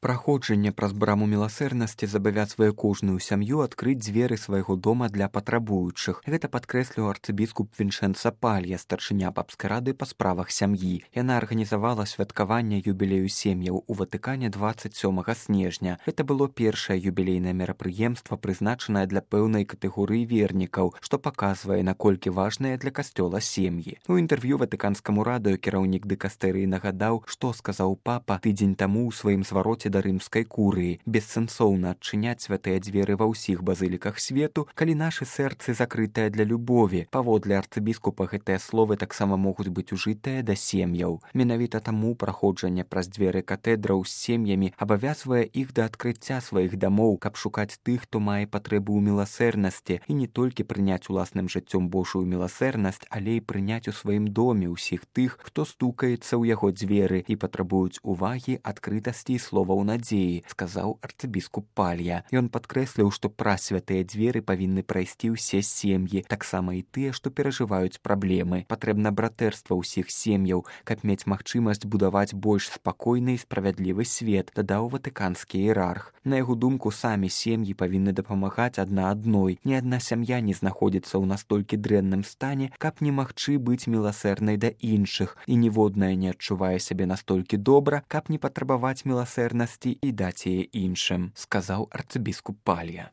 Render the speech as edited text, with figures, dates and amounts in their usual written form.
Праходжанне праз браму міласэрнасці забавязвае кожную сям'ю адкрыць дзверы свайго дома для патрабуючых. Гэта падкрэсліў арцыбіскуп Віншэнца Палья, старшыня папскай рады па справах сям'і. Яна арганізавала святкаванне юбілею сем'яў у Ватыкане 27 снежня. Гэта было першае юбілейнае мерапрыемства, прызначанае для пэўнай катэгорыі вернікаў, што паказвае, наколькі важныя для касцёла сем'і. У інтэрв'ю ватыканскаму радыё кіраўнік дыкастэрыі нагадаў, што сказаў папа тыдзень таму ў сваім звароце да рымскай курыі. Бессэнсоўна адчыняць святыя дзверы ва ўсіх базыліках свету, калі нашы сэрцы закрытыя для любові. Паводле арцыбіскупа гэтыя словы таксама могуць быць ужытыя да сем'яў. Менавіта таму праходжанне праз дзверы катэдраў з сем'ямі абавязвае іх да адкрыцця сваіх дамоў, каб шукаць тых, хто мае патрэбу ў міласэрнасці, і не толькі прыняць уласным жыццём Божую міласэрнасць, але і прыняць у сваім доме ўсіх тых, хто стукаецца ў яго дзверы і патрабуюць увагі, адкрытасці і словаў надзеі, сказаў арцыбіскуп Палья. Ён падкрэсліў, што праз святыя дзверы павінны прайсці ўсе сем'і, таксама і тыя, што перажываюць праблемы. Патрэбна братэрства ўсіх сем'яў, каб мець магчымасць будаваць больш спакойны і справядлівы свет, дадаў ватыканскі іерарх. На яго думку, самі сем'і павінны дапамагаць адна адной. Ні адна сям'я не знаходзіцца ў настолькі дрэнным стане, каб не магчы быць міласэрнай да іншых, і ніводная не адчувае сябе настолькі добра, каб не патрабаваць міласэрнасці і даць яе іншым, сказаў арцыбіскуп Палья.